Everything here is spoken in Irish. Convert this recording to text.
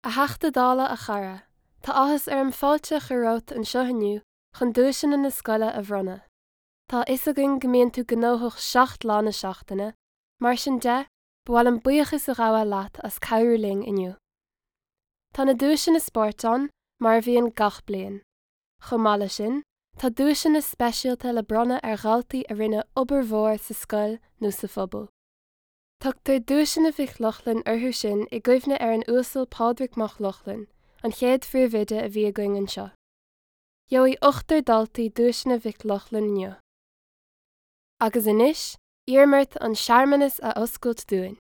A Theachta Dála a chara, tá áthas orm fáilte a chur romhat anseo inniu chun duaiseanna na scoile a bhronnadh. Tá a fhios againn go mbíonn tú gnóthach 7 lá na seachtaine, mar sin de, ba mhaith liom buíochas a ghabháil leat as cabhrú linn inniu. Tá na duaiseanna spóirt ann, mar a bhíonn gach bliain. Chomh maith leis sin, tá duaiseanna speisialta le bronnadh ar dhaltaí a rinne obair mhór sa scoil nó sa phobal. Tugtar Duaiseanna Mhic Lochlainn orthu sin i gcuimhne ar an Uasal Pádraig Mac Lochlainn, an chéad phríomhoide a bhí againn anseo. Gheobhaidh ochtar daltaí Duaiseanna Mhic Lochlainn inniu. Agus anois, iarraim ort an searmanas a oscailt dúinn.